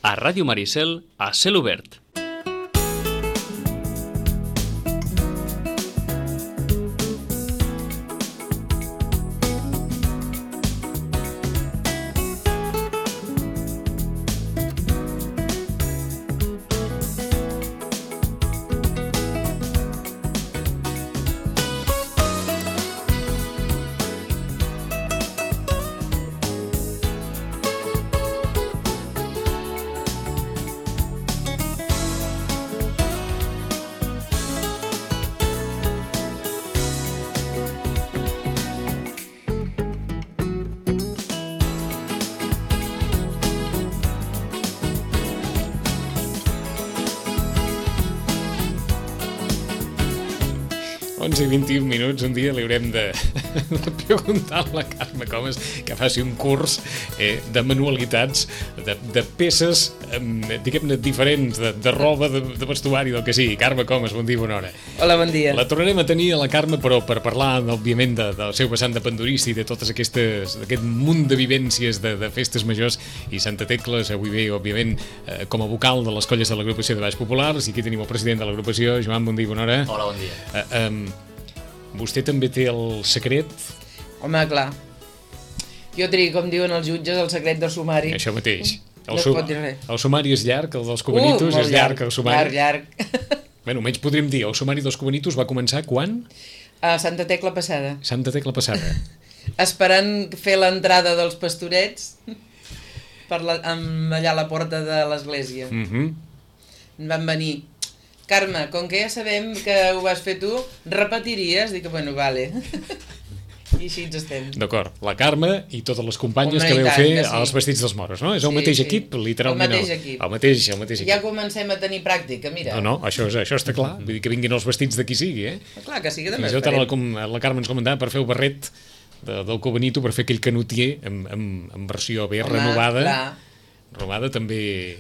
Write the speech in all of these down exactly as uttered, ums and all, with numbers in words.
A Ràdio Maricel, a cel obert. onze i vint-i-un minuts, un dia li haurem de, de preguntar a la Carme Comas que faci un curs eh, de manualitats, de, de peces, eh, diguem-ne, diferents, de, de roba, de, de vestuari, del que sigui. Carme Comas, bon dia, bona hora. Hola, bon dia. La tornarem a tenir a la Carme, però per parlar, òbviament, de, del seu vessant de pandurista i de totes aquestes, d'aquest munt de vivències de, de festes majors, i Santa Tecles avui ve, òbviament, eh, com a vocal de les colles de l'agrupació de Balls Populars, i aquí tenim el president de l'agrupació, Joan, bon dia, bona hora. Hola, bon dia. Eh, eh, Vostè també té el secret? Home, clar. Jo trigo, com diuen els jutges, el secret del sumari. Això mateix. El, no su es pot dir res. El sumari és llarg, el dels Cubanitos uh, és llarg, llarg, el sumari. Llarg, llarg. Bé, almenys podríem dir, el sumari dels Cubanitos va començar quan? A Santa Tecla passada. Santa Tecla passada. Esperant fer l'entrada dels pastorets per la, amb, allà a la porta de l'església. Mhm. Van venir... Carme, com que ja sabem que ho vas fer tu, repetiries? Dic que, bueno, vale. I així ens estem. D'acord, la Carme i totes les companyes Home, que veu tant, fer que sí. els vestits dels moros, no? És el Sí, mateix sí. equip, literalment. El mateix equip. El mateix, el mateix equip. Ja comencem a tenir pràctica, mira. No, no, això, és, això està clar. Vull dir que vinguin els vestits de qui sigui, eh? Clar que sí, que també Fins i tot esperem. ara la, com- la Carme ens comentava per fer el barret de, del Cubanito, per fer aquell canutier amb, amb, amb versió bé Home, renovada. clar. Renovada també...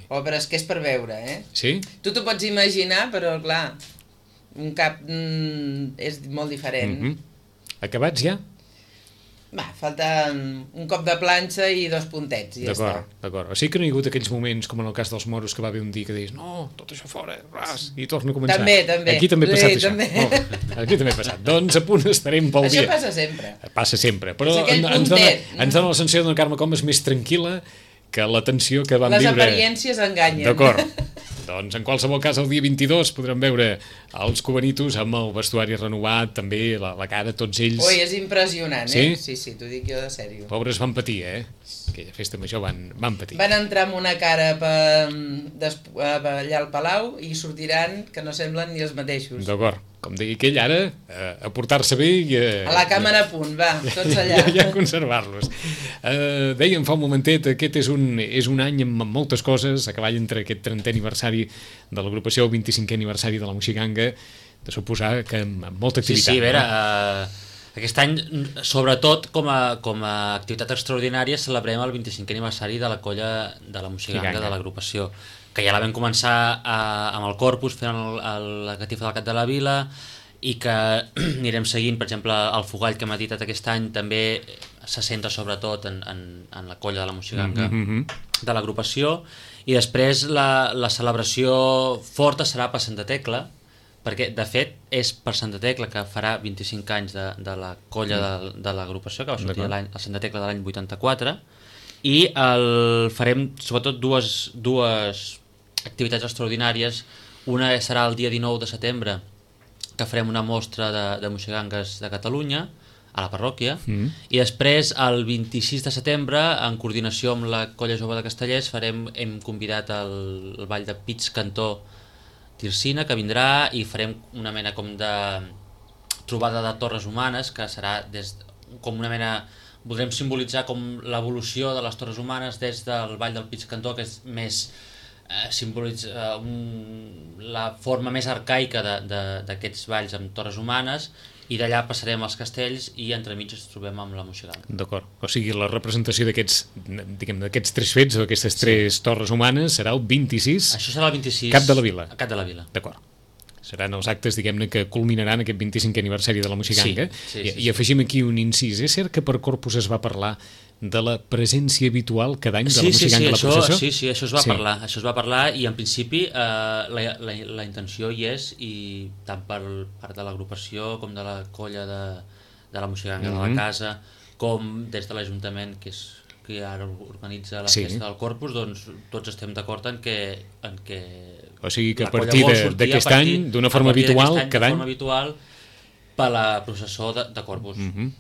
Oh, però és que és per veure, eh? Sí? Tu t'ho pots imaginar, però clar, un cap mm, és molt diferent. Mm-hmm. Acabats ja? Va, falta un cop de planxa i dos puntets, i ja està. D'acord, d'acord. O sigui que no hi ha hagut aquells moments, com en el cas dels moros, que va haver un dia que deies no, tot això fora, ras, i torna a començar. També, també. Aquí també ha passat Sí, això. també. Oh, aquí també ha passat. Doncs a punt estarem pel Això dia. passa sempre. Passa sempre. Però És aquell en- ens dona, puntet. ens dona la sensació d'una Carme Comas més tranquil·la que la tensió que vam Les viure. apariències enganyen. D'acord. Doncs en qualsevol cas el dia vint-i-dos podrem veure els Cubanitos amb el vestuari renovat, també la, la cara, tots ells. Ui, és impressionant, Sí? eh? Sí, sí, t'ho dic jo de sèrio. Pobres van patir, eh? Aquella festa major van, van patir. Van entrar amb una cara per, des, allà al Palau i sortiran que no semblen ni els mateixos. D'acord. Com deia aquell ara, eh, a portar-se bé i a... A la càmera a punt, va, tots allà. I a conservar-los. Eh, dèiem fa un momentet, aquest és un, és un any amb moltes coses, a cavall entre aquest trentè aniversari de l'agrupació, el vint-i-cinquè aniversari de la Moixiganga, de suposar que amb, amb molta Sí, activitat. sí, a veure, no? eh, aquest any, sobretot com a, com a activitat extraordinària, celebrem el vint-i-cinquè aniversari de la colla de la Moixiganga, Moixiganga. de l'agrupació, que ja la vam començar a, amb el Corpus, fent el, el, la catifa del Cap de la Vila, i que anirem seguint, per exemple, el Fogall que hem editat aquest any també se centra sobretot en, en, en la colla de la Moixiganga Mm-hmm. de l'agrupació, i després la, la celebració forta serà per Santa Tecla, perquè de fet és per Santa Tecla que farà vint-i-cinc anys de, de la colla de, de l'agrupació, que va sortir D'acord. l'any, a Santa Tecla de l'any vuitanta-quatre, i el, farem sobretot dues, dues activitats extraordinàries. Una serà el dia dinou de setembre, que farem una mostra de, de moixigangues de Catalunya a la parròquia, Mm. i després el vint-i-sis de setembre, en coordinació amb la Colla Jove de Castellers, farem, hem convidat el, el ball de Pits Cantó Tirsina, que vindrà, i farem una mena com de trobada de torres humanes, que serà des, com una mena... Voldrem simbolitzar com l'evolució de les torres humanes des del ball del Pits Cantó, que és més... Eh, simbolitza eh, un, la forma més arcaica d'aquests balls amb torres humanes, i d'allà passarem als castells i entremig ens trobem amb la Moixiganga. D'acord. O sigui, la representació d'aquests, diguem, d'aquests tres fets, o aquestes tres torres humanes, serà el vint-i-sis... Això serà el vint-i-sis... Cap de la Vila. Cap de la Vila. D'acord. Seran els actes, diguem-ne, que culminaran aquest vint-i-cinquè aniversari de la Moixiganga. Sí, sí, I, sí, I afegim aquí un incís. És cert que per Corpus es va parlar de la presència habitual cada any de sí, la sí, Moixiganga sí, a la això, processó? sí, sí, això es va Sí. parlar, això es va parlar i en principi eh, la, la, la intenció hi és, i tant per part de l'agrupació com de la colla de, de la Moixiganga Mhm. de la casa, com des de l'Ajuntament, que és que ara organitza la Sí. festa del Corpus, doncs tots estem d'acord en que, en que O sigui que a la colla partir vol de- sortir d'aquest a partir- any, d'una a forma partir d'aquest habitual, any, cada de any? forma habitual, per la processó de, de Corpus. Mhm.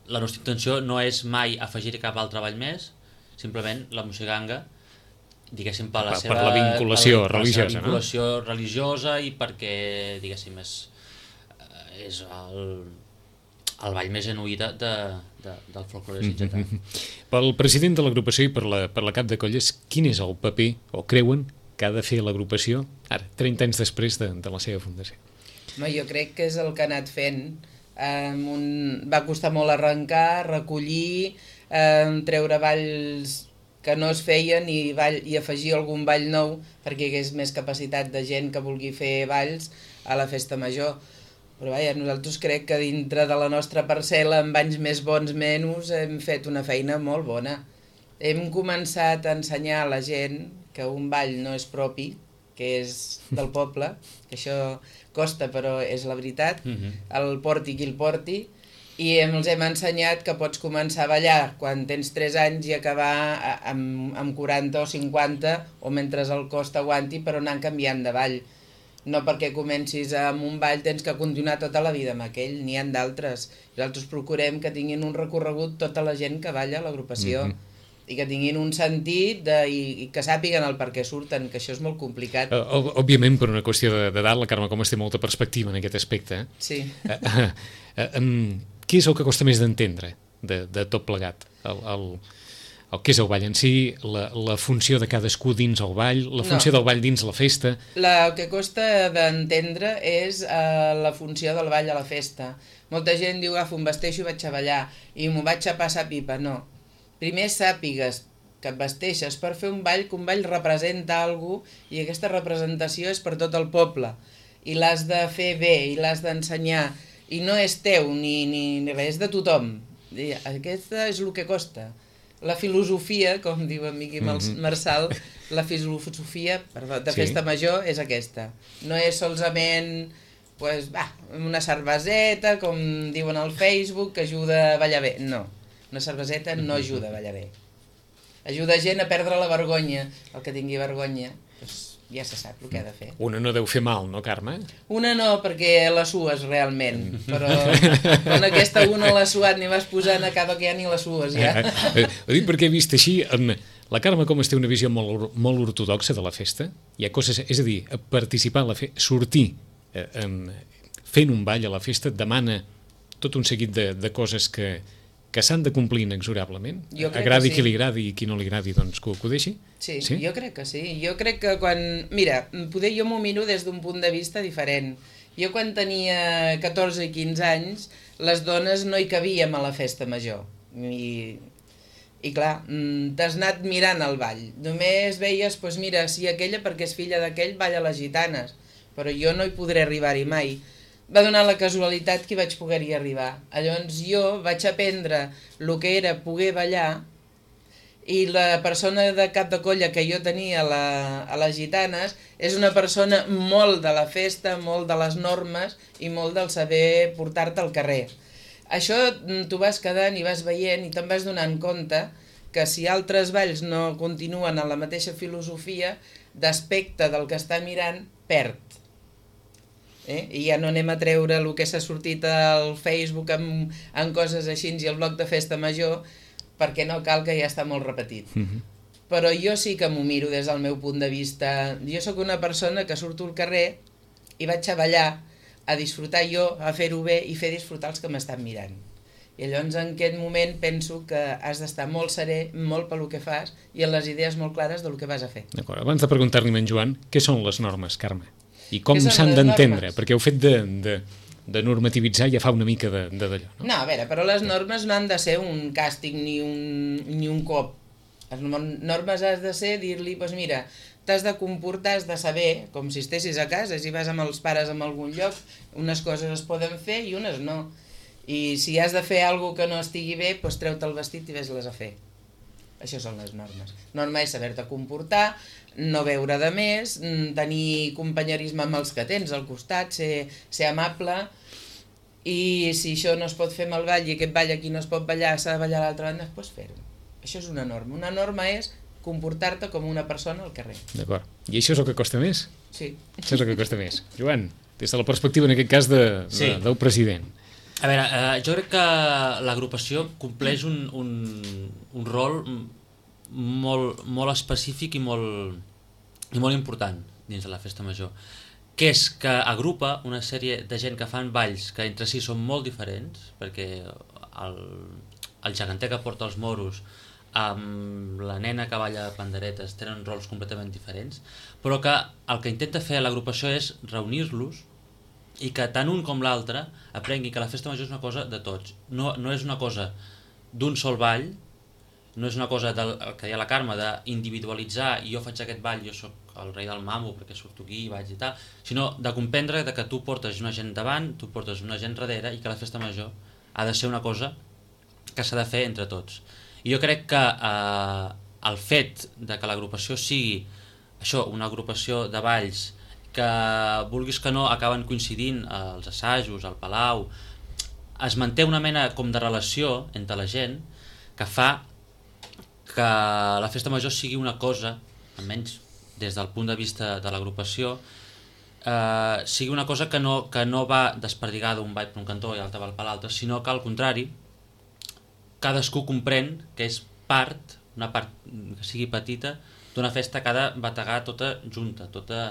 La nostra intenció no és mai afegir cap altre ball més, simplement la Moixiganga, diguéssim, per la Per- seva... per la vinculació per la- per la religiosa, seva no? vinculació religiosa i perquè, diguéssim, és, és el, el ball més genuí de, de, de, del folklore sitgetà. Mhm. Pel president de l'agrupació i per la, per la cap de colles, quin és el paper, o creuen, que ha de fer l'agrupació ara, trenta anys després de, de la seva fundació? No, jo crec que és el que ha anat fent. Um, un... Va costar molt arrencar, recollir, um, treure balls que no es feien i, ball, i afegir algun ball nou perquè hi hagués més capacitat de gent que vulgui fer balls a la festa major. Però vaja, nosaltres crec que dintre de la nostra parcel·la, amb anys més bons menys, hem fet una feina molt bona. Hem començat a ensenyar a la gent que un ball no és propi, que és del poble, que això costa però és la veritat, Mhm. el porti qui el porti, i hem, els hem ensenyat que pots començar a ballar quan tens tres anys i acabar a- amb, amb quaranta o cinquanta, o mentre el cos t'aguanti, però anant canviant de ball. No perquè comencis amb un ball tens que continuar tota la vida amb aquell, n'hi ha d'altres. Nosaltres procurem que tinguin un recorregut tota la gent que balla a l'agrupació. Mhm. I que tinguin un sentit de, i, i que sàpiguen el per què surten, que això és molt complicat. Uh, òbviament, per una qüestió de- d'edat, la Carme Comas té molta perspectiva en aquest aspecte. Eh? Sí. Uh, uh, uh, um, què és el que costa més d'entendre de, de tot plegat? El, el, el que és el ball en si, la, la funció de cadascú dins el ball, la funció No. del ball dins la festa... La, el que costa d'entendre és uh, la funció del ball a la festa. Molta gent diu, agafo, em vesteixo i vaig a ballar, i m'ho vaig a passar pipa. No. Primer sàpigues que et vesteixes per fer un ball, que un ball representa alguna cosa, i aquesta representació és per tot el poble. I l'has de fer bé, i l'has d'ensenyar, i no és teu ni, ni, ni res, és de tothom. I aquesta és el que costa. La filosofia, com diu en Miqui Mhm. Marçal, la filosofia perdó, de Sí. festa major és aquesta. No és solament pues, va, una cerveseta, com diuen al Facebook, que ajuda a ballar bé. No, una cerveseta no ajuda a ballar bé. Ajuda gent a perdre la vergonya. El que tingui vergonya, pues, ja se sap el que ha de fer. Una no deu fer mal, no, Carme? Una no, perquè la sues realment, però quan aquesta una l'ha suat ni vas posant, acaba que ja ni la sues, ja. Eh, ho dic perquè he vist així, en, la Carme Comas té una visió molt, or- molt ortodoxa de la festa. Hi ha coses, és a dir, participar a la festa, sortir eh, en, fent un ball a la festa, et demana tot un seguit de, de coses que, que s'han de complir inexorablement. Jo crec Agradi que sí. qui li agradi i qui no li agradi, doncs que ho, que ho deixi. Sí, Sí? jo crec que sí. Jo crec que quan... Mira, poder jo m'ho miro des d'un punt de vista diferent. Jo quan tenia catorze i quinze anys, les dones no hi cabíem a la festa major. I, i clar, mm, t'has anat mirant el ball. Només veies, doncs mira, si aquella perquè és filla d'aquell balla les gitanes, però jo no hi podré arribar-hi mai. Va donar la casualitat que hi vaig poder-hi arribar. Llavors jo vaig aprendre el que era poder ballar, i la persona de cap de colla que jo tenia a, la, a les gitanes és una persona molt de la festa, molt de les normes i molt del saber portar-te al carrer. Això mm, tu vas quedant i vas veient i te'n vas donant compte que si altres balls no continuen en la mateixa filosofia, d'aspecte del que està mirant, perd. Eh? I ja no anem a treure el que s'ha sortit al Facebook amb, amb coses així i el bloc de festa major, perquè no cal, que ja està molt repetit. Mhm. Però jo sí que m'ho miro des del meu punt de vista. Jo sóc una persona que surto al carrer i vaig a ballar, a disfrutar jo, a fer-ho bé i fer disfrutar els que m'estan mirant. I llavors en aquest moment penso que has d'estar molt serè, molt pel que fas i amb les idees molt clares del que vas a fer. D'acord. Abans de preguntar-li a en Joan, què són les normes, Carme? I com Què són s'han les d'entendre? normes? Perquè heu fet de, de, de normativitzar ja fa una mica de, de d'allò, no? No, a veure, però les normes no han de ser un càstig ni un, ni un cop. Les normes has de ser dir-li, doncs mira, t'has de comportar, has de saber, com si estessis a casa, si vas amb els pares en algun lloc, unes coses es poden fer i unes no. I si has de fer alguna que no estigui bé, doncs treu-te el vestit i ves-les a fer. Això són les normes. Norma és saber-te comportar, no veure de més, tenir companyerisme amb els que tens al costat, ser, ser amable, i si això no es pot fer amb el ball i aquest ball aquí no es pot ballar, s'ha de ballar a l'altra banda, doncs fer-ho. Això és una norma. Una norma és comportar-te com una persona al carrer. D'acord. I això és el que costa més? Sí. Això és el que costa més. Joan, des de la perspectiva, en aquest cas, de, Sí. de, del president. A veure, eh, jo crec que l'agrupació compleix un, un, un rol molt, molt específic i molt, i molt important dins de la festa major, que és que agrupa una sèrie de gent que fan balls que entre si són molt diferents, perquè el, el geganter que porta els moros amb la nena que balla panderetes tenen rols completament diferents, però que el que intenta fer l'agrupació és reunir-los i que tant un com l'altre aprengui que la festa major és una cosa de tots, no, no és una cosa d'un sol ball, no és una cosa del que deia la Carme, d'individualitzar i jo faig aquest ball, jo sóc el rei del mamo perquè surto aquí i vaig i tal, sinó de comprendre de que tu portes una gent davant, tu portes una gent darrere i que la festa major ha de ser una cosa que s'ha de fer entre tots. I jo crec que eh, el fet de que l'agrupació sigui això, una agrupació de balls que vulguis que no acaben coincidint als assajos, al palau, es manté una mena com de relació entre la gent que fa que la festa major sigui una cosa, almenys des del punt de vista de l'agrupació, eh, sigui una cosa que no, que no va desperdigada un ball per un cantó i l'altre va per l'altre, sinó que al contrari cadascú comprèn que és part, una part que sigui petita, d'una festa que ha de bategar tota junta, tota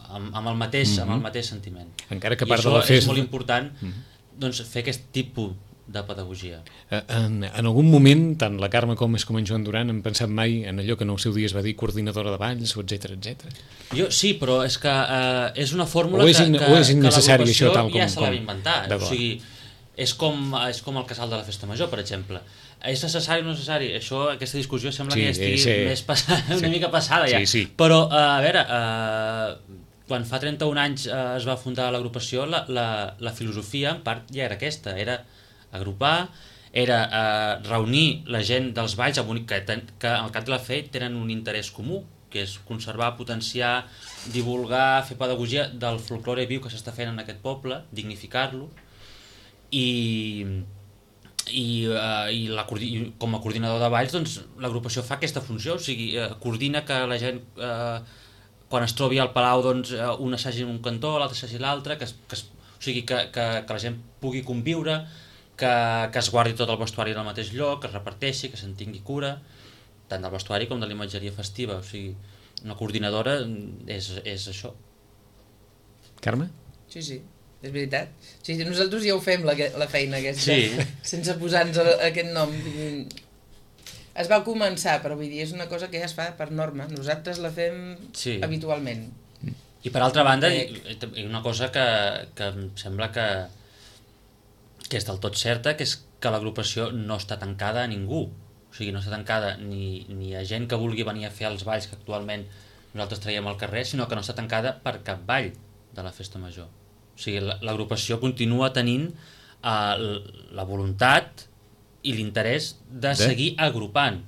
amb, amb, el, mateix, mm-hmm. amb el mateix sentiment. Encara que I part això de la festa... és molt important mm-hmm. doncs, fer aquest tipus de pedagogia. En, en algun moment, tant la Carme com és com en Joan Duran han pensat mai en allò que en el seu dia es va dir coordinadora de balls, etcètera, etcètera. Jo sí, però és que eh, és una fórmula o és in, que, que, o és innecessari, que això, tal com... ja se l'ha com... inventat. O sigui, és com, és com el casal de la festa major, per exemple. És necessari o no necessari? Això, aquesta discussió sembla sí, que estigui sí, més passada, una sí. mica passada ja. Sí, sí. Però, eh, a veure, eh, quan fa trenta-un anys eh, es va fundar l'agrupació, la, la, la filosofia en part ja era aquesta, era agrupar, era eh, reunir la gent dels balls amb un, que, que al cap de la fe tenen un interès comú, que és conservar, potenciar, divulgar, fer pedagogia del folklore viu que s'està fent en aquest poble, dignificar-lo, i, i, uh, i, la, i com a coordinador de balls doncs, l'agrupació fa aquesta funció, o sigui, uh, coordina que la gent uh, quan es trobi al palau doncs, uh, un assagi en un cantó, l'altre assagi l'altre, que, que, o sigui, que, que, que la gent pugui conviure, que, que es guardi tot el vestuari en el mateix lloc, que es reparteixi, que se'n tingui cura, tant del vestuari com de la imatgeria festiva. O sigui, una coordinadora és, és això. Carme? Sí, sí, és veritat. Sí, nosaltres ja ho fem, la, la feina aquesta, sí. sense posar-nos aquest nom. Es va començar, però vull dir, és una cosa que ja es fa per norma. Nosaltres la fem sí. habitualment. I per altra banda, eh... una cosa que, que em sembla que que és del tot certa, que és que l'agrupació no està tancada a ningú. O sigui, no està tancada ni, ni a gent que vulgui venir a fer els balls que actualment nosaltres traiem al carrer, sinó que no està tancada per cap ball de la festa major. O sigui, l'agrupació continua tenint uh, la voluntat i l'interès de, de seguir agrupant.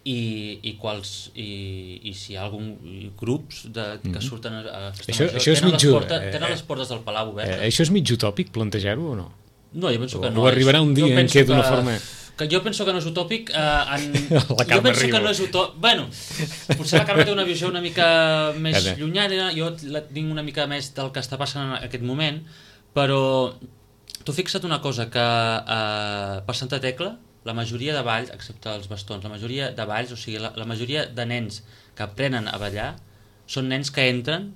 I, i, quals, i, i si hi ha algun grups de, que surten a la festa això, major això tenen, mitjo, les porta, eh, tenen les portes del palau obertes. Eh, això és mig utòpic plantejar-ho o no? No, jo penso o, que no. O arribarà un dia en què d'una forma... Que jo penso que no és utòpic. Eh, en... jo penso que no és utòpic. Bueno, potser la Carme té una visió una mica més Cada. llunyana, jo la tinc una mica més del que està passant en aquest moment, però tu fixa't una cosa, que eh, per Santa Tecla, la majoria de balls, excepte els bastons, la majoria de balls, o sigui, la, la majoria de nens que aprenen a ballar són nens que entren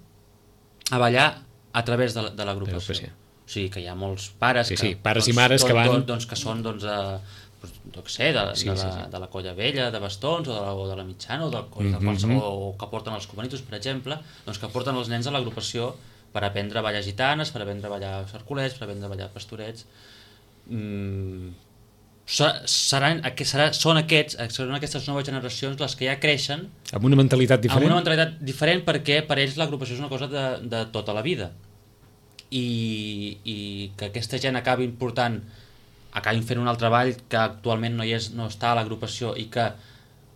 a ballar a través de, de l'agrupació. O sigui, que hi ha molts pares, sí, que, sí, pares doncs, i mares tot, que van... Doncs, que són, doncs, de, no sé, de, sí, de, la, sí, sí. de la colla vella, de bastons, o de la, o de la mitjana, o de, o, de qualsevol, o que porten els comanitos, per exemple, doncs que porten els nens a l'agrupació per aprendre a ballar gitanes, per aprendre a ballar cercolets, per aprendre a ballar pastorets... Mm, seran, serà, són, aquests, són aquestes noves generacions les que ja creixen... Amb una mentalitat diferent? Amb una mentalitat diferent perquè per ells l'agrupació és una cosa de, de tota la vida. i, i que aquesta gent acabi portant, acabin fent un altre ball que actualment no, hi és, no està a l'agrupació i que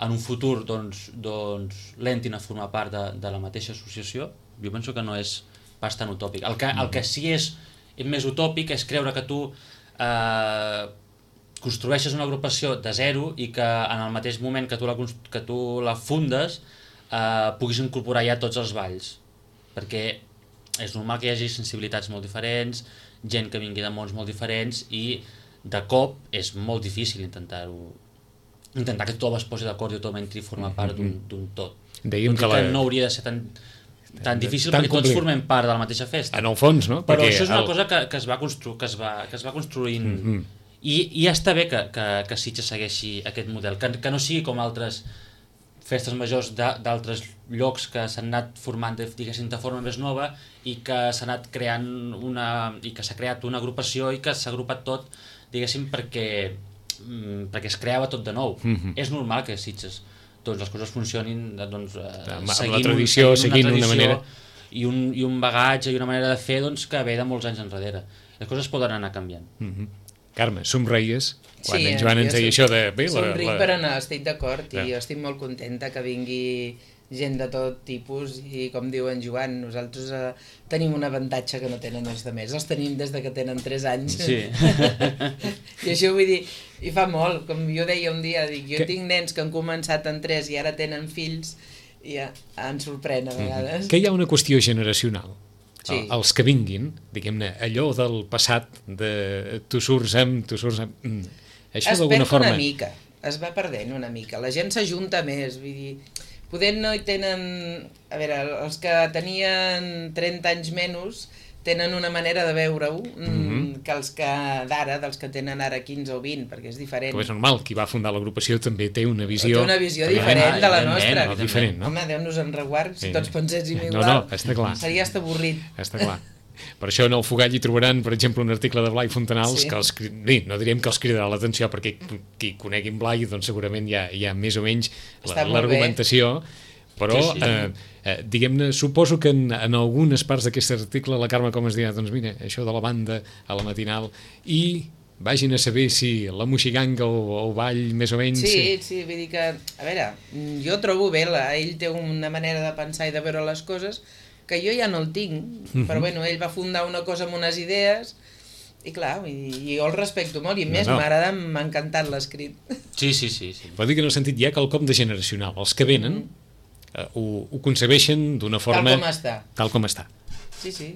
en un futur doncs, doncs, l'entin a formar part de, de la mateixa associació, jo penso que no és pas tan utòpic. El que, el que sí és, és més utòpic és creure que tu eh, construeixes una agrupació de zero i que en el mateix moment que tu la, que tu la fundes eh, puguis incorporar ja tots els balls, perquè és normal que hi hagi sensibilitats molt diferents, gent que vingui de mons molt diferents i de cop és molt difícil intentar-ho, intentar que tothom es posi d'acord i tothom entri i forma part d'un tot. Dèiem que, que la... no hauria de ser tan, tan difícil tan perquè complicat. Tots formem part de la mateixa festa. En el fons, no? Però perquè això és una el... cosa que, que, es va constru que, es va, que es va construint mm -hmm. i, i ja està bé que, que, que Sitges segueixi aquest model, que, que no sigui com altres festes majors d'altres llocs que s'han anat formant diguéssim de forma més nova i que s'ha anat creant una i que s'ha creat una agrupació i que s'ha agrupat tot diguéssim perquè perquè es creava tot de nou. Mm-hmm. És normal que Sitges doncs, les coses funcionin doncs, eh, amb seguint, la tradició, un, seguint una, una manera i un, i un bagatge i una manera de fer doncs, que ve de molts anys enrere. Les coses poden anar canviant. Mm-hmm. Carme, somreies quan sí, en Joan ens deia això de... Bé, somric la, la... per anar, estic d'acord ja. i jo estic molt contenta que vingui gent de tot tipus i com diu en Joan, nosaltres eh, tenim un avantatge que no tenen els altres, els tenim des de que tenen tres anys sí. i això vull dir, i fa molt, com jo deia un dia, dic, jo que... tinc nens que han començat en tres i ara tenen fills i ja, em sorprèn a vegades. Que hi ha una qüestió generacional. Sí. Els que vinguin, diguem-ne, allò del passat de tu surts amb, tu surts amb... Mm. Això es d'alguna perd forma... una mica, es va perdent una mica, la gent s'ajunta més, vull dir, poder no hi tenen... A veure, els que tenien trenta anys menys tenen una manera de veure-ho mm-hmm. que els que d'ara, dels que tenen ara quinze o vint, perquè és diferent. Però és normal, qui va fundar l'agrupació també té una visió... Té una visió diferent de la nostra. No, diferent, no? Home, Déu-nos en reguard, si sí. tots penséssim igual, no, no, està clar. seria hasta avorrit. Està clar. Per això en el Fogall hi trobaran, per exemple, un article de Blai Fontanals sí. que els, sí, no diríem que els cridarà l'atenció, perquè qui coneguin Blai doncs segurament hi ha, hi ha més o menys l'argumentació, però sí, sí. Eh, eh, diguem-ne, suposo que en, en algunes parts d'aquest article la Carme com es dirà, doncs mira, això de la banda a la matinal i vagin a saber si la moixiganga o el ball més o menys... Sí, sí, vull dir que, a veure, jo trobo bé, la, ell té una manera de pensar i de veure les coses que jo ja no el tinc, mm-hmm. però bueno, ell va fundar una cosa amb unes idees i clar, i, i jo el respecto molt i més no, no. m'agrada, m'ha encantat l'escrit. Sí, sí, sí, sí. Vol dir que en el sentit hi ha quelcom de generacional. Els que venen mm. eh, ho, ho concebeixen d'una forma... Tal com està. Tal com està. Sí, sí.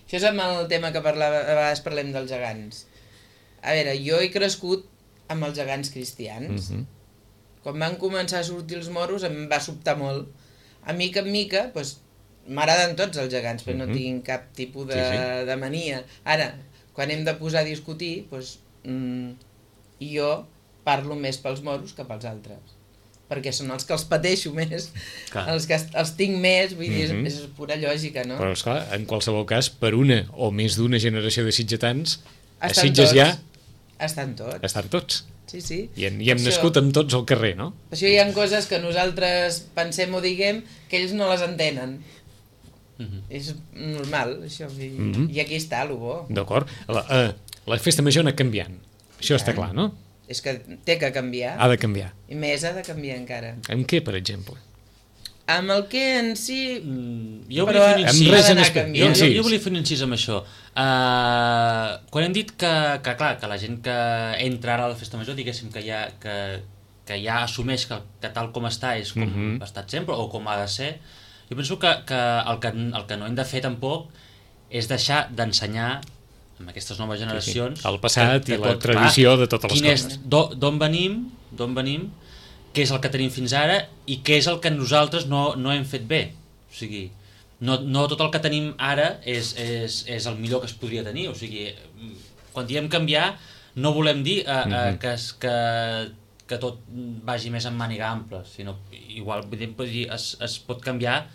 Això és amb el tema que parlava, a vegades parlem dels gegants. A veure, jo he crescut amb els gegants cristians. Mm-hmm. Quan van començar a sortir els moros em va sobtar molt. A mica en mica, doncs, m'agraden tots els gegants, però mm-hmm. no tinc cap tipus de, sí, sí. de mania. Ara, quan hem de posar a discutir, doncs, mmm, jo parlo més pels moros que pels altres. Perquè són els que els pateixo més, clar. els que els tinc més, vull dir, mm-hmm. és, és pura lògica, no? Però, esclar, en qualsevol cas, per una o més d'una generació de sitgetans, a estan Sitges tots. ja... Estan tots. Estan tots. Sí, sí. I, en, i hem això, nascut amb tots al carrer, no? Per això hi ha coses que nosaltres pensem o diguem que ells no les entenen. Mm-hmm. És normal, això. I, mm-hmm. i aquí està, el bo. D'acord. La, uh, la festa major ha anat canviant. Això ja. Està clar, no? És que té que canviar. Ha de canviar. I més ha de canviar encara. Amb què, per exemple? Amb el que en si... Mm, jo volia fer un incís. Res en espe... jo, jo, jo volia fer un incís amb això. Uh, quan hem dit que, que, clar, que la gent que entra ara a la festa major, diguéssim que ja, que, que ja assumeix que, que tal com està és com mm-hmm. ha estat sempre o com ha de ser, jo penso que, que, el que el que no hem de fer tampoc és deixar d'ensenyar amb aquestes noves generacions... Sí, sí. El passat que, que i la tot, tradició clar, de totes les coses. D'on venim, d'on venim, què és el que tenim fins ara i què és el que nosaltres no, no hem fet bé. O sigui, no, no tot el que tenim ara és, és, és el millor que es podria tenir. O sigui, quan diem canviar, no volem dir uh, uh, mm-hmm. que, es, que, que tot vagi més en màniga ampla, sinó igual dir, es, es pot canviar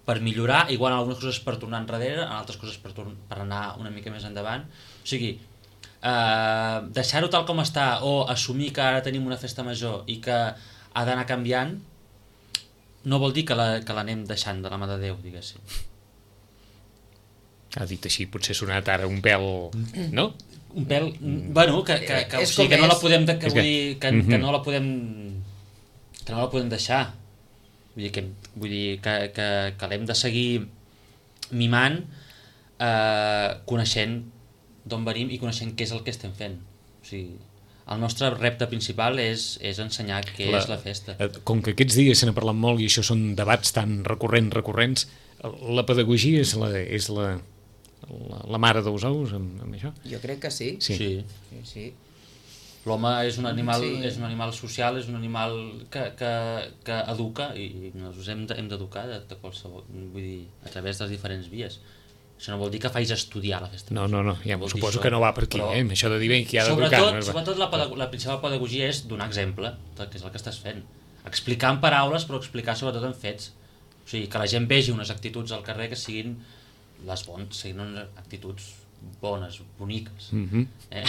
per millorar, igual en algunes coses per tornar enrere, en altres coses per, per anar una mica més endavant. O sigui, eh, deixar-ho tal com està o assumir que ara tenim una festa major i que ha d'anar canviant no vol dir que la, que l'anem deixant de la mà de Déu, diguéssim. Ha dit així, potser ha sonat ara un pèl... No? Un pèl... Bueno, que, que, que, És o sigui, com que no la és. podem... Que, És vull que- dir, que, Mhm. que no la podem... Que no la podem deixar. Vull dir que, vull dir que, que, que l'hem de seguir mimant, eh, coneixent d'on venim i coneixent què és el que estem fent. O sigui, el nostre repte principal és, és ensenyar què la, és la festa. eh, Com que aquests dies se n'ha parlat molt i això són debats tan recurrents, recurrents, la pedagogia és la, és la, la, la mare dels ous amb, amb això? Jo crec que sí. Sí. Sí. Sí, sí. L'home és un animal, Sí. és un animal social, és un animal que, que, que educa i nosaltres hem de- hem d'educar de, de qualsevol, vull dir, a través de les diferents vies. Això no vol dir que facis estudiar la festa. No, no, no, ja Vol dir suposo això, que no va per aquí, però- eh? Amb això de dir bé qui ha d'educar. Sobretot, no és- sobretot la, pedag- la principal pedagogia és donar exemple del que és el que estàs fent. Explicar en paraules, però explicar sobretot en fets. O sigui, que la gent vegi unes actituds al carrer que siguin les bones, siguin unes actituds bones, boniques. Mhm. Eh?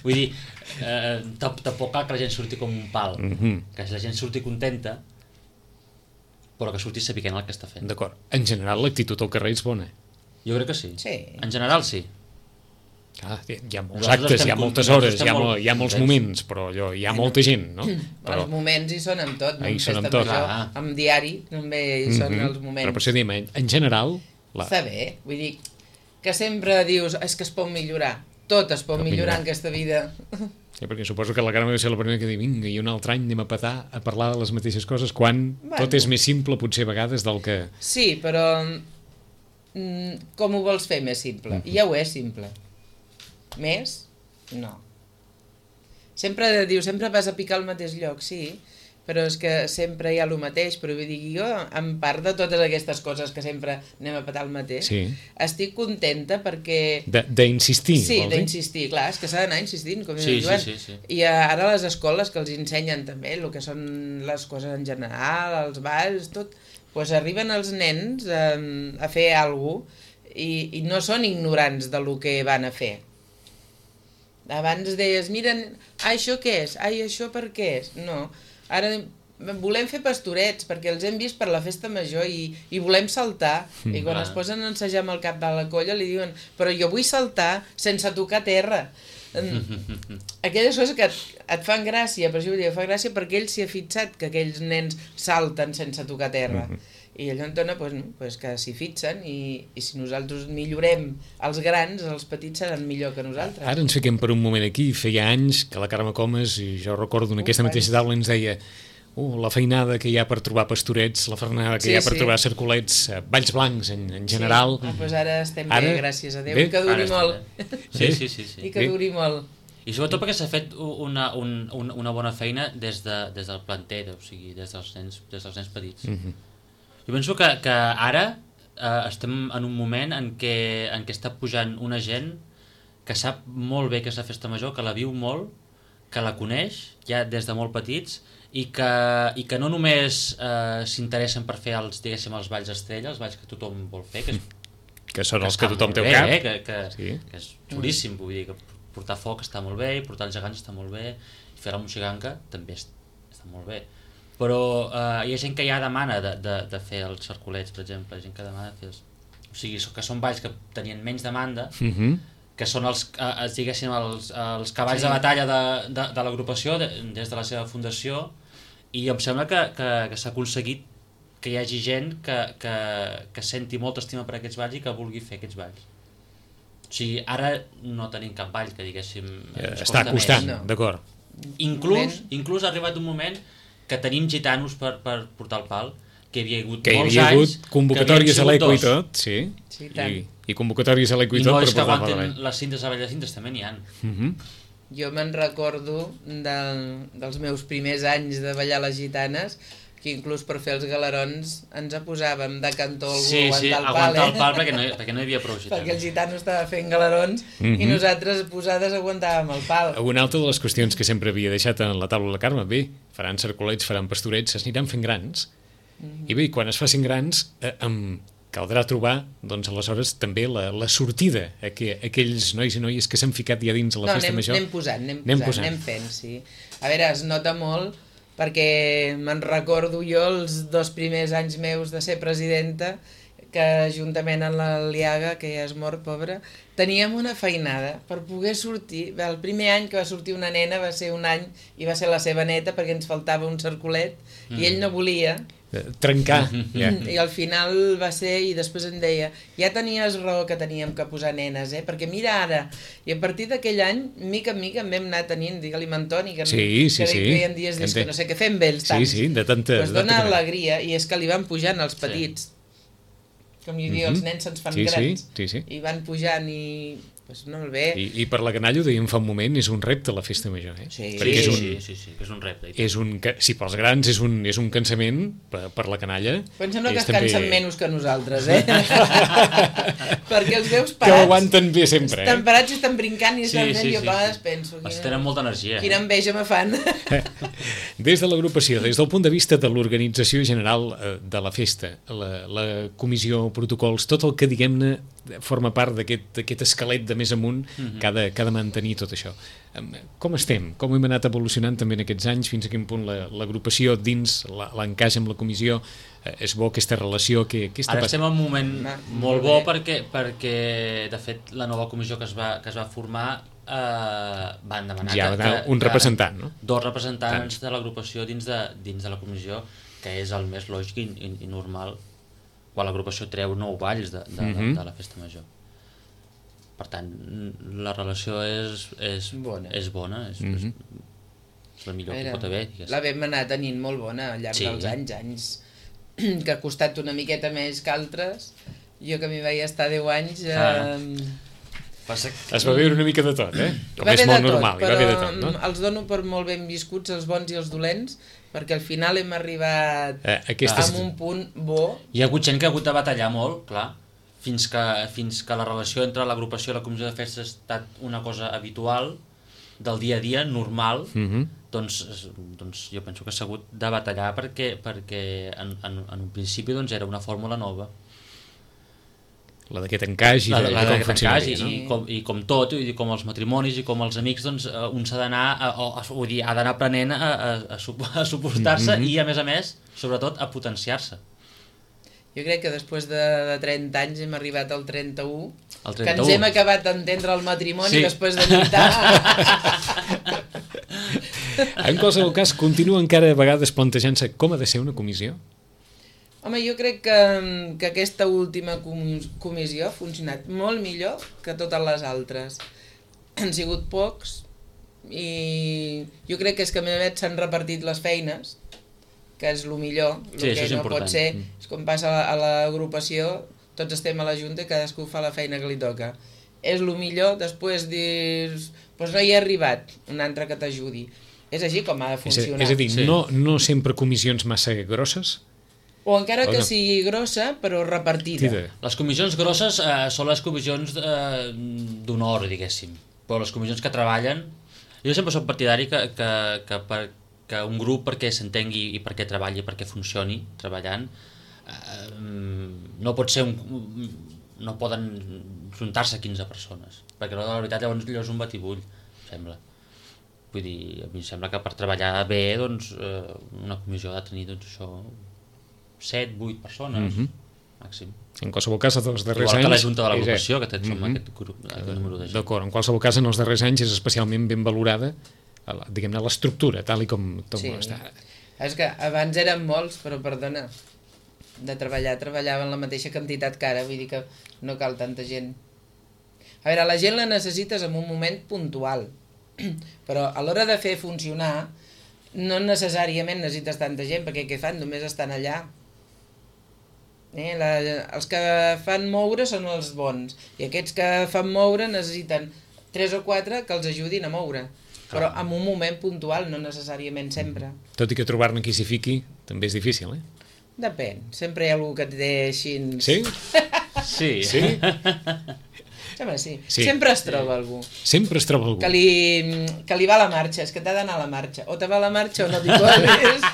Vull dir, eh, tamp- tampoc cal que la gent surti com un pal. Mhm. Que la gent surti contenta, però que surti sapiguent el que està fent. D'acord. En general, l'actitud al carrer és bona. Jo crec que sí. Sí. En general, sí. Ah, hi ha molts Nosaltres actes, estem hi ha con- moltes nosaltres hores, hi ha, estem mo- molt hi ha molts contents. moments, però allò, hi ha molta gent, no? Però... Els moments hi són amb tot, no Ahí en són amb festa tot. major, Clar. amb diari, també hi són Mhm. els moments. Però per això diem, en, en general... La... Està bé, vull dir, que sempre dius, és que es pot millorar. Tot es pot Pot millorar millorar. en aquesta vida. Sí, perquè suposo que la Carme deu ser la primera que diu vinga, i un altre any anem a petar a parlar de les mateixes coses, quan Bueno. tot és més simple, potser a vegades, del que... Sí, però mm, com ho vols fer més simple? I ja ho és simple. Més? No. Sempre diu, sempre vas a picar al mateix lloc, sí, però és que sempre hi ha el mateix, però vull dir, jo, en part de totes aquestes coses que sempre anem a petar el mateix, Sí. estic contenta perquè... De- D'insistir, Sí, vols dir? d'insistir, clar, és que s'ha d'anar insistint, com Sí, diu el Joan. sí, sí, sí. I ara a les escoles que els ensenyen també el que són les coses en general, els balls, tot, doncs arriben els nens a, a fer alguna cosa i, i no són ignorants de lo que van a fer. Abans deies, mira, ah, això què és? Ai, això per què és? No, ara volem fer pastorets perquè els hem vist per la festa major i, i volem saltar, mm, i quan clar. es posen a ensejar amb el cap de la colla li diuen, però jo vull saltar sense tocar terra. Mm, aquelles coses que et, et fan gràcia, per això vull dir, fa gràcia perquè ell s'hi ha fixat que aquells nens salten sense tocar terra. Mhm. I allò entona pues, no, pues que s'hi fixen i, i si nosaltres millorem els grans, els petits seran millor que nosaltres. Ara ens fiquem per un moment aquí, feia anys que la Carme Comas, i jo recordo en aquesta Uf, mateixa taula, ens deia uh, la feinada que hi ha per trobar pastorets, la feinada que Sí, hi ha per sí. trobar cercolets, eh, balls blancs en, en general. Sí. Ah, doncs ara estem Ara- bé, gràcies a Déu, bé. i que duri Ara està molt. bé. Sí, sí, sí, sí. I que Bé. duri molt. I sobretot perquè s'ha fet una, un, un, una bona feina des, de, des del planter, o sigui, des dels nens, des dels nens petits. Mm -hmm. Jo penso que, que ara eh, estem en un moment en què, en què està pujant una gent que sap molt bé que és la festa major, que la viu molt, que la coneix ja des de molt petits i que, i que no només eh, s'interessen per fer els, diguéssim, els balls estrella, els balls que tothom vol fer, que, és, Que són els que està tothom molt té al bé, cap. eh, que, que, Sí. que és xulíssim, vull dir, que portar foc està molt bé, i portar els gegants està molt bé, i fer la moxiganca també és, està molt bé. Però eh, hi ha gent que ja demana de, de, de fer els cercolets, per exemple, hi ha gent que demana fer els... O sigui, que són balls que tenien menys demanda, Mm -hmm. que són els, eh, els, diguéssim, els, els cavalls Sí. de batalla de, de, de l'agrupació de, des de la seva fundació, i em sembla que, que, que s'ha aconseguit que hi hagi gent que, que, que senti molta estima per aquests balls i que vulgui fer aquests balls. O sigui, ara no tenim cap ball que, diguéssim, ens Està costa costant, més. no. d'acord. Inclús, inclús ha arribat un moment que tenim gitanos per, per portar el pal, que hi havia hagut Que hi molts havia hagut anys convocatòries que a havien l'Eco i sigut dos. tot, sí. Sí, i tant. I, I convocatòries a l'Eco i, I tot no per és que portar el aguanten ball. les cintes a Vall de Cintes, també n'hi ha. Mm -hmm. Jo me'n recordo del, dels meus primers anys de ballar les gitanes, que inclús per fer els galerons ens posàvem de cantó algú Sí, a sí, aguantar el pal, aguantar eh? el pal perquè no, hi- perquè no hi havia prou gitanos. Perquè el gitano estava fent galerons Mhm. i nosaltres posades aguantàvem el pal. Una altra de les qüestions que sempre havia deixat en la taula la Carme, bé, faran cercolets, faran pastorets, s'aniran fent grans, i bé, quan es facin grans, eh, em caldrà trobar, doncs aleshores, també la, la sortida a, que, a aquells nois i noies que s'han ficat ja dins a la No, festa anem, major. anem posant, anem Anem posant, posant. anem fent, sí. A veure, es nota molt perquè me'n recordo jo els dos primers anys meus de ser presidenta que juntament amb l'Aliaga, que ja és mort, pobra, teníem una feinada per poder sortir. El primer any que va sortir una nena va ser un any i va ser la seva neta perquè ens faltava un cercolet mm. i ell no volia. Trencar. Yeah. I al final va ser, i després em deia, ja tenies raó que teníem que posar nenes, eh? Perquè mira ara, i a partir d'aquell any, mica en mica en vam anar tenint, digue-li Antoni, que, sí, sí, que sí. hi ha dies que no sé què fem bé els tants. Sí, sí, de tanta... Pues dona alegria, i és que li van pujant els petits. Sí. Com jo dic, mm -hmm. els nens se'ns fan sí, grans, sí, sí, sí. i van pujant i... Pues molt bé. I, I per la canalla, ho dèiem fa un moment, és un repte la festa major, eh? Sí, perquè és un, sí, sí, sí, és un repte. És un, si pels grans és un, és un cansament, per, per la canalla... Però em sembla que es també... cansen menys que nosaltres, eh? Perquè els veus parats... Que ho aguanten bé sempre, eh? Estan parats i estan brincant i estan sí, fent, sí, i jo sí, a vegades sí. penso... Els tenen molta energia. Quina enveja me fan. Des de l'agrupació, des del punt de vista de l'organització general de la festa, la, la comissió, protocols, tot el que, diguem-ne, forma part d'aquest esquelet de més amunt mm-hmm. que, ha de, que ha de mantenir tot això. Com estem? Com hem anat evolucionant també en aquests anys? Fins a quin punt l'agrupació dins l'encaix amb la comissió és bo aquesta relació? Que, que Ara estem en un moment Va, molt bo perquè, perquè, de fet, la nova comissió que es va, que es va formar eh, van demanar ja, que, que, un que, representant, no? Dos representants de l'agrupació dins, de, dins de la comissió, que és el més lògic i, i, i normal quan l'agrupació treu nou balls de, de, mm-hmm. de, de la festa major. Per tant, la relació és, és bona, és, bona, és, mm-hmm. és la millor Era, que pot haver. Digues. La vam anar tenint molt bona al llarg sí. dels anys, anys que ha costat una miqueta més que altres. Jo que m'hi vaig estar deu anys... Ah. Eh... Passa que... Es va veure una mica de tot, eh? Com va és molt tot, normal, però va de tot, no? Els dono per molt ben viscuts, els bons i els dolents, perquè al final hem arribat eh, aquestes... amb un punt bo. Hi ha hagut gent que ha hagut de batallar molt, clar, fins que, fins que la relació entre l'agrupació i la comissió de festes ha estat una cosa habitual, del dia a dia, normal, mm-hmm. doncs, doncs jo penso que s'ha hagut de batallar perquè, perquè en, en, en un principi doncs, era una fórmula nova. La d'aquest encaix i, la, de, la i com funcionaria, no? I, com, i com tot, i com els matrimonis i com els amics, doncs un s'ha d'anar vull dir, ha d'anar aprenent a, a, a, a suportar-se mm-hmm. i a més a més, sobretot, a potenciar-se. Jo crec que després de, de trenta anys hem arribat al trenta-u, el trenta-u. que ens hem acabat d'entendre el matrimoni sí. després de lluitar. En qualsevol cas, continua encara a vegades plantejant-se com ha de ser una comissió? Home, jo crec que, que aquesta última comissió ha funcionat molt millor que totes les altres. Han sigut pocs i jo crec que és que a més s'han repartit les feines, que és el millor. El sí, que no important. pot ser, és com passa a l'agrupació, tots estem a la junta i cadascú fa la feina que li toca. És el millor, després dius, doncs no hi he arribat, un altre que t'ajudi. És així com ha de funcionar. És a, és a dir, sí. no, no sempre comissions massa grosses? O encara que sigui grossa, però repartida. Tida. Les comissions grosses eh, són les comissions eh, d'honor, diguéssim. Però les comissions que treballen... Jo sempre soc partidari que, que, que, per, que un grup, perquè s'entengui i perquè treballi, perquè funcioni treballant, eh, no pot ser un... no poden juntar-se quinze persones. Perquè la veritat llavors és un batibull, sembla. Vull dir, a mi sembla que per treballar bé, doncs, eh, una comissió ha de tenir, doncs, això... set, vuit persones, mm-hmm. màxim. En qualsevol cas, dels darrers Igual anys... que la Junta de l'Agrupació, que som mm-hmm. aquest, grup, aquest número de gent. D'acord, en qualsevol cas, en els darrers anys és especialment ben valorada, diguem-ne, l'estructura, tal i com, com sí. està. És que abans eren molts, però perdona, de treballar, treballaven la mateixa quantitat que ara, vull dir que no cal tanta gent. A veure, la gent la necessites en un moment puntual, però a l'hora de fer funcionar no necessàriament necessites tanta gent, perquè què fan? Només estan allà. Eh, la, els que fan moure són els bons, i aquests que fan moure necessiten tres o quatre que els ajudin a moure, però en un moment puntual, no necessàriament sempre. Tot i que trobar-ne qui s'hi fiqui també és difícil, eh? Depèn, sempre hi ha algú que et deixi... Sí? Sí. Sí? Sempre sí. Sí. Sempre es troba algú. Sempre es troba algú. Que li, que li va a la marxa, és que t'ha d'anar a la marxa. O te va a la marxa o no t'hi colis.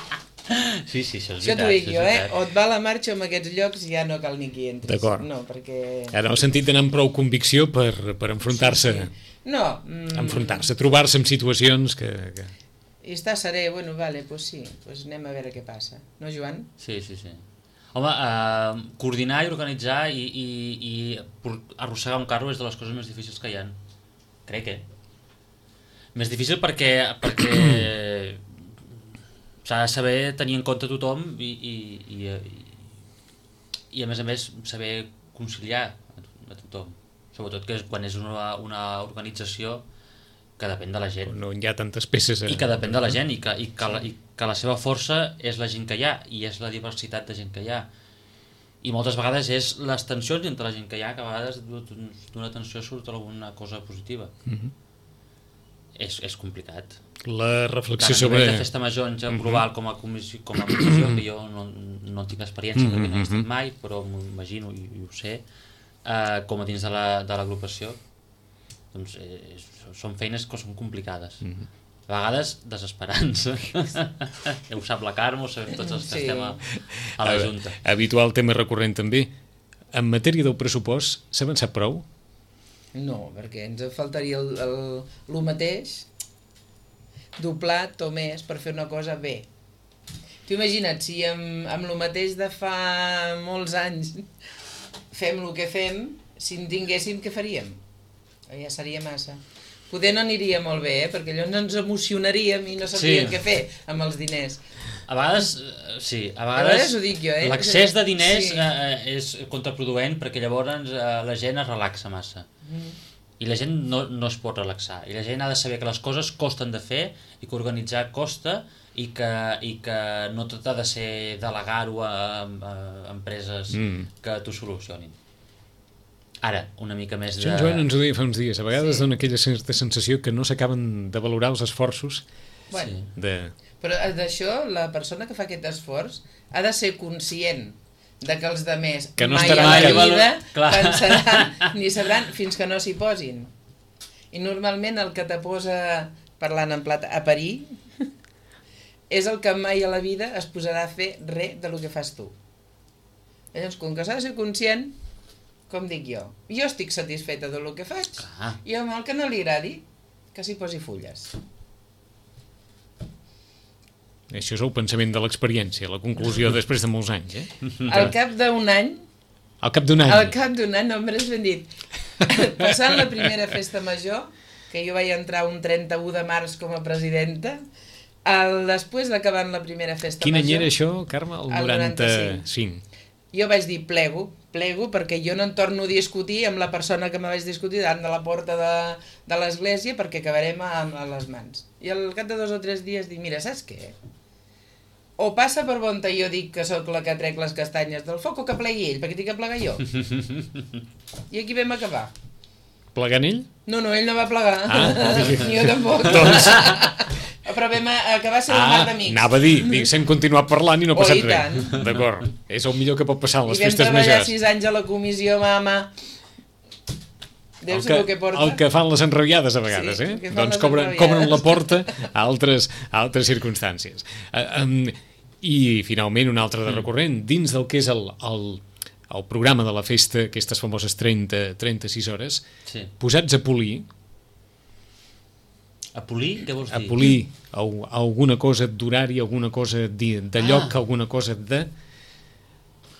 Sí, sí, això és Això veritat. t'ho dic jo, eh? O et va a la marxa o en aquests llocs ja no cal ni que hi entris. D'acord. No, perquè... Ara, en el sentit d'anar amb prou convicció per, per enfrontar-se... Sí, sí. No. Mm... Enfrontar-se, trobar-se en situacions que... que... I està serè, bueno, vale, doncs pues sí, pues anem a veure què passa. No, Joan? Sí, sí, sí. Home, eh, coordinar i organitzar i, i, i arrossegar un carro és de les coses més difícils que hi ha. Crec, eh? Més difícil perquè, perquè s'ha de saber tenir en compte tothom i, i, i, i a més a més saber conciliar a tothom. Sobretot que quan és una, una organització que depèn de la gent. No hi ha tantes peces. A... I que depèn de la gent i que, i, que la, i que la seva força és la gent que hi ha i és la diversitat de gent que hi ha. I moltes vegades és les tensions entre la gent que hi ha, que a vegades d'una tensió surt alguna cosa positiva. Mm-hmm. És, és complicat. La reflexió tant, sobre... de festa major en mm-hmm. global com a comissió, com a comissió que jo no, no tinc experiència mm-hmm. perquè no he estat mai, però m'imagino i, i ho sé, eh, com a dins de l'agrupació, doncs eh, són feines que són complicades. Mm-hmm. A vegades desesperants. Ja ho sap la Carme, ho sabem tots els que sí. estem a, a la Junta. Habitual tema recurrent també. En matèria del pressupost, s'ha avançat prou? No, perquè ens faltaria el, el, el mateix, doblat o més, per fer una cosa bé. T'ho imagina't, si amb, amb el mateix de fa molts anys fem el que fem, si en tinguéssim, què faríem? Ja seria massa. Poder no aniria molt bé, eh? Perquè allò ens emocionaríem i no sabríem sí. què fer amb els diners. A vegades, sí, a vegades, a vegades ho dic jo, eh? L'excés de diners sí. eh, és contraproduent perquè llavors eh, la gent es relaxa massa. Mm. I la gent no, no es pot relaxar. I la gent ha de saber que les coses costen de fer i que organitzar costa i que, i que no tot ha de ser delegar-ho a, a, a empreses mm. que t'ho solucionin. Ara, una mica més de... Sant Joan ens ho deia fa uns dies. A vegades sí. dona aquella certa sensació que no s'acaben de valorar els esforços. Bueno, sí. de... però d'això, la persona que fa aquest esforç ha de ser conscient de que els demés que no mai a la mai vida pensaran ni sabran fins que no s'hi posin. I normalment el que te posa, parlant en plat, a parir, és el que mai a la vida es posarà a fer res de lo que fas tu. Llavors, com que s'ha de ser conscient, com dic jo, jo estic satisfeta del que faig, ah. i el que no li agradi, que s'hi posi fulles. Això és el pensament de l'experiència, la conclusió després de molts anys, eh? Al cap d'un any... Al cap d'un any? Al cap d'un any, no m'has ben dit. Passant la primera festa major, que jo vaig entrar un trenta-u de març com a presidenta, el, després d'acabant la primera festa Quin major... Quin any era això, Carme? El, el noranta-cinc. Jo vaig dir plego, plego perquè jo no en torno a discutir amb la persona que me vaig discutir davant de la porta de, de l'església perquè acabarem a, a les mans. I al cap de dos o tres dies dic, mira, saps què? O passa per bon jo dic que sóc la que trec les castanyes del foc o que plegui ell, perquè tinc que plegar jo. I aquí vam acabar. Plegant ell? No, no, ell no va plegar. Ah, ni jo tampoc. Doncs... Però vam acabar sent ah, un mar d'amics. Anava a dir, diguéssim, continuar parlant i no ha passat oh, res. D'acord. És el millor que pot passar en les festes majors. I vam treballar sis anys a la comissió, mama. Deus el que, que porta. El que fan les enrabiades a vegades, sí, eh? Doncs cobren, cobren la porta a altres, a altres circumstàncies. Uh, um, I, finalment, un altre de recurrent, dins del que és el, el, el programa de la festa, aquestes famoses trenta, trenta-sis hores, sí. posats a polir. A polir? Què vols dir? A polir alguna cosa d'horari, alguna cosa de, de lloc, ah. alguna cosa de...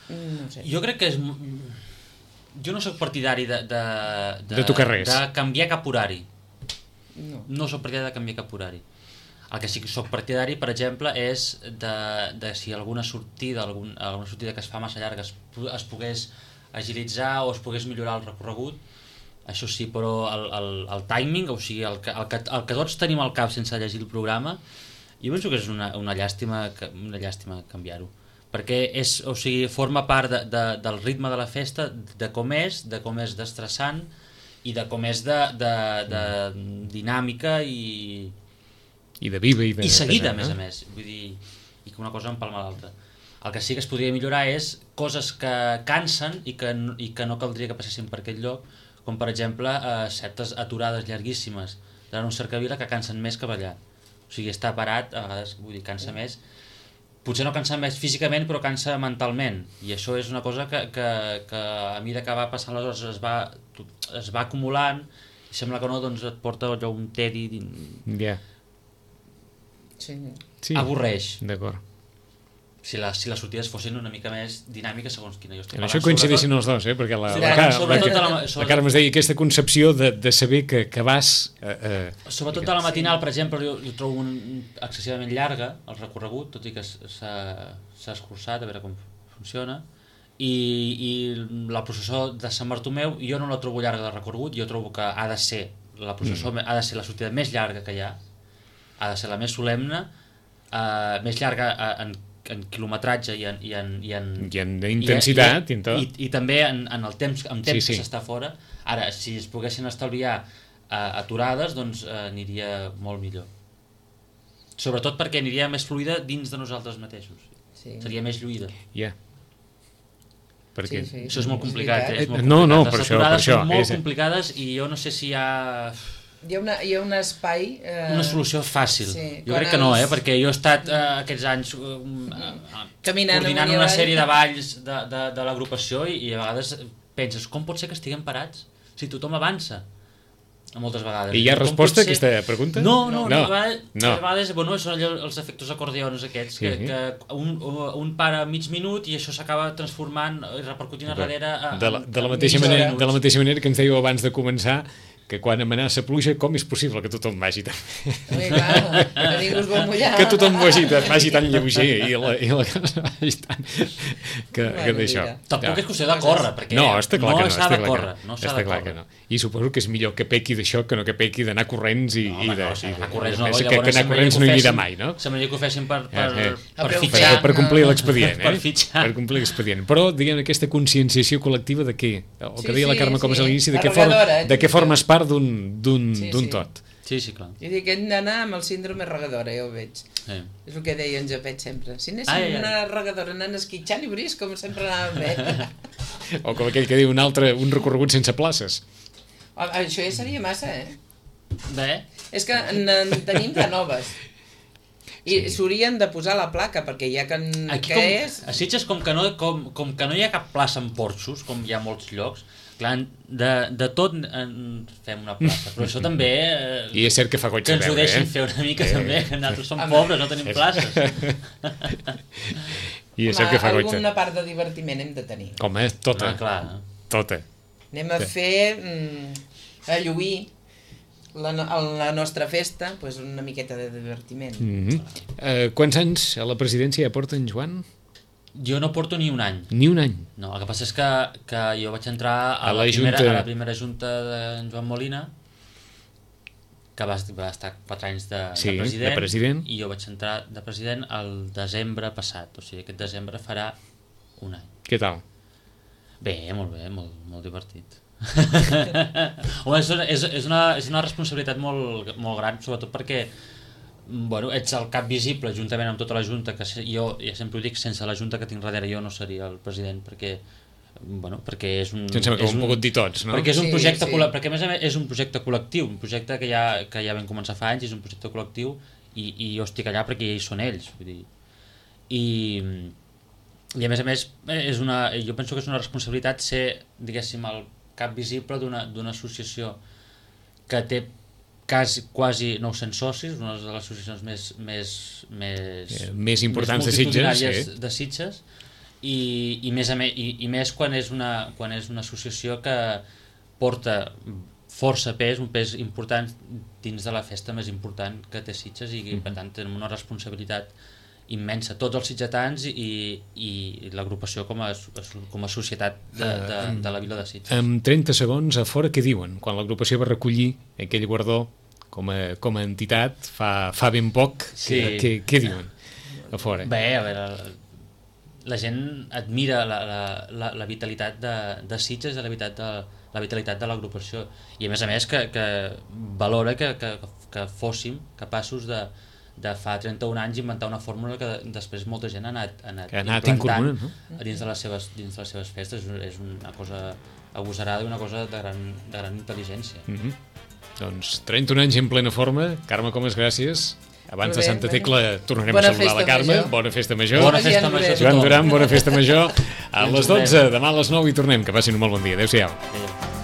No sé. Jo crec que és... Jo no sóc partidari de... De, de, de tocar res. De canviar cap horari. No. No sóc partidari de canviar cap horari. El que sí que sóc partidari, per exemple, és de, de si alguna sortida, algun, alguna sortida que es fa massa llarga es, es pogués agilitzar o es pogués millorar el recorregut. Això sí, però el, el, el timing, o sigui, el que, el, que, el que tots tenim al cap sense llegir el programa, jo penso que és una, una llàstima, una llàstima canviar-ho. Perquè és, o sigui, forma part de, de, del ritme de la festa, de com és, de com és d'estressant i de com és de, de, de dinàmica i... I de viva i de... I seguida, a més a més. Vull dir, i que una cosa empalma l'altra. El que sí que es podria millorar és coses que cansen i que, i que no caldria que passessin per aquest lloc, com per exemple eh, certes aturades llarguíssimes d'una cercavila que cansen més que ballar. O sigui, estar parat, a vegades, vull dir, cansa més. Potser no cansa més físicament, però cansa mentalment. I això és una cosa que, que, que a mesura que va passant les hores es va, es va acumulant i sembla que no, doncs et porta allò un tedi... Ja. Sí. Sí. Avorreix. D'acord. si, les, si les sortides fossin una mica més dinàmiques segons quina jo estic En parlant. això coincideixin els dos, eh? perquè la, Sí, la, Carme, sobretot la, a la- la, sobretot- la Carme es deia aquesta concepció de, de saber que, que vas... Eh, eh, Sobretot a la matinal, per exemple, jo, jo trobo un, excessivament llarga el recorregut, tot i que s'ha s'ha escurçat, a veure com funciona, i, i la processó de Sant Bartomeu jo no la trobo llarga de recorregut, jo trobo que ha de ser la processó, mm. ha de ser la sortida més llarga que hi ha, ha de ser la més solemne, eh, més llarga en, en quilometratge i en, i en, i en, I en intensitat, i, i en tot. i, i també en, en el temps, en temps Sí, sí. que s'està fora. Ara, si es poguessin estalviar eh, aturades, doncs eh, aniria molt millor. Sobretot perquè aniria més fluida dins de nosaltres mateixos. Sí. Seria més lluïda. Ja. Perquè... Sí, sí. Això és molt complicat, eh? És molt No, no, complicat. per Les això, per aturades això. són molt És- complicades i jo no sé si hi ha Hi ha, una, hi ha un espai... Eh, una solució fàcil. sí, Jo quan crec que no, els- eh? Perquè jo he estat eh, aquests anys eh, eh, Caminant coordinant amunt i una avall. sèrie de balls de, de, de l'agrupació i, i a vegades penses, com pot ser que estiguem parats si tothom avança? Moltes vegades. I hi ha Com resposta a pot ser- aquesta pregunta? No, no, no, No, a vegades, no. a vegades bueno, són allò, els efectes acordeons aquests, que, Sí. que un, un para mig minut i això s'acaba transformant i repercutint a darrere a, De la, de, la a mateixa mitja manera, hora. de la mateixa manera que ens dèieu abans de començar que quan amenaça pluja, com és possible que tothom vagi tan... Home, clar, que ningú es vol mullar. que tothom vagi, tan- vagi tan lleuger i la, i la cosa vagi tan... que, que Bueno, d'això. mira. Tampoc és qüestió de córrer, perquè No, està clar no que no. s'ha Està de clar córrer. que No no. s'ha Està de clar córrer. que no. I suposo que és millor que pequi d'això que no que pequi d'anar corrents i, No, i home, de... no, i de- anar corrents no, que, llavors que anar semblaria corrents que no ho hi anirà fessin- mai, no? Semblaria que ho fessin per, per, Eh, eh. per Per fitxar. per, per complir l'expedient, eh? Per fitxar. Per complir l'expedient. Però, diguem, aquesta conscienciació col·lectiva de què? El que Sí, deia la sí, Carme Comas sí. a l'inici, de, què Arregadora, forma, eh, de què típica. formes part d'un d'un Sí, d'un sí. tot. Sí, sí, clar. I dic, hem d'anar amb el síndrome regadora, ja ho veig. Sí. És el que deia en Japet sempre. Si anéssim Ai, ai, ai. una regadora anant esquitxant i veuries com sempre anàvem bé. O com aquell que diu un altre, un recorregut sense places. Home, això ja seria massa, eh? Bé, És que en tenim de noves. I Sí. s'haurien de posar la placa, perquè ja que, aquí que com, és... a Sitges com que, no, com, com que no hi ha cap plaça en porxos, com hi ha molts llocs, clar, de, de tot en fem una plaça, però això també... Eh, I és cert que fa goig que de ens ho veure, deixin eh? fer una mica Eh. també, que nosaltres som Home. pobres, no tenim És- places. I és cert que fa goig de... alguna part de divertiment hem de tenir. Home, tota, Ah, clar. tota. Anem a Sí. fer... Mm, a lluir la, no- la nostra festa, pues una miqueta de divertiment. Mm -hmm. uh, quants anys a la presidència ja porta en Joan? Jo no porto ni un any. Ni un any. No, el que passa és que, que jo vaig entrar a, A la la, primera, Junta. a la primera junta de Joan Molina, que va, va estar quatre anys de, Sí, de, de president, president. i jo vaig entrar de president el desembre passat, o sigui, aquest desembre farà un any. Què tal? Bé, molt bé, molt, molt divertit. Home, és, una, és, és, una, és una responsabilitat molt, molt gran, sobretot perquè bueno, ets el cap visible juntament amb tota la Junta, que se- jo ja sempre ho dic, sense la Junta que tinc darrere jo no seria el president, perquè bueno, perquè és un... Em sembla que ho és hem un- pogut dir tots, no? Perquè és un Sí, projecte, sí. col·le- perquè a més a més és un projecte col·lectiu, un projecte que ja, que ja vam començar fa anys, és un projecte col·lectiu i, i jo estic allà perquè ja hi són ells, vull dir. I, i a més a més és una, jo penso que és una responsabilitat ser, diguéssim, el cap visible d'una d'una associació que té quasi, quasi nou-cents socis, una de les associacions més més, més, Eh, més importants de Sitges, multitudinàries sí. de Sitges i, i, més a més, i, i més quan és, una, quan és una associació que porta força pes, un pes important dins de la festa més important que té Sitges i, i per tant tenim una responsabilitat immensa, tots els sitgetans i, i l'agrupació com, a, com a societat de, de, de la vila de Sitges. En trenta segons, a fora què diuen? Quan l'agrupació va recollir aquell guardó com a, com a entitat fa, fa ben poc, Sí. què, què, què diuen a fora? Bé, a veure, la gent admira la, la, la, la vitalitat de, de Sitges i la vitalitat de, la vitalitat de l'agrupació i a més a més que, que valora que, que, que fóssim capaços de, de fa trenta-un anys inventar una fórmula que després molta gent ha anat, ha anat, Que ha anat implantant incorporant, dins, de les seves, dins de les seves festes. És una cosa agosarada i una cosa de gran, de gran intel·ligència. Mm -hmm. Doncs trenta-un anys en plena forma. Carme Comas, gràcies. Abans Molt de bé, Santa Tecla tornarem Bona a saludar la festa Carme. major. Bona festa major. Bona festa Joan major a Joan tothom. Duran, bona festa major. A I ens les veurem. dotze, demà a les nou i tornem. Que passin un molt bon dia. Adéu-siau. Adéu.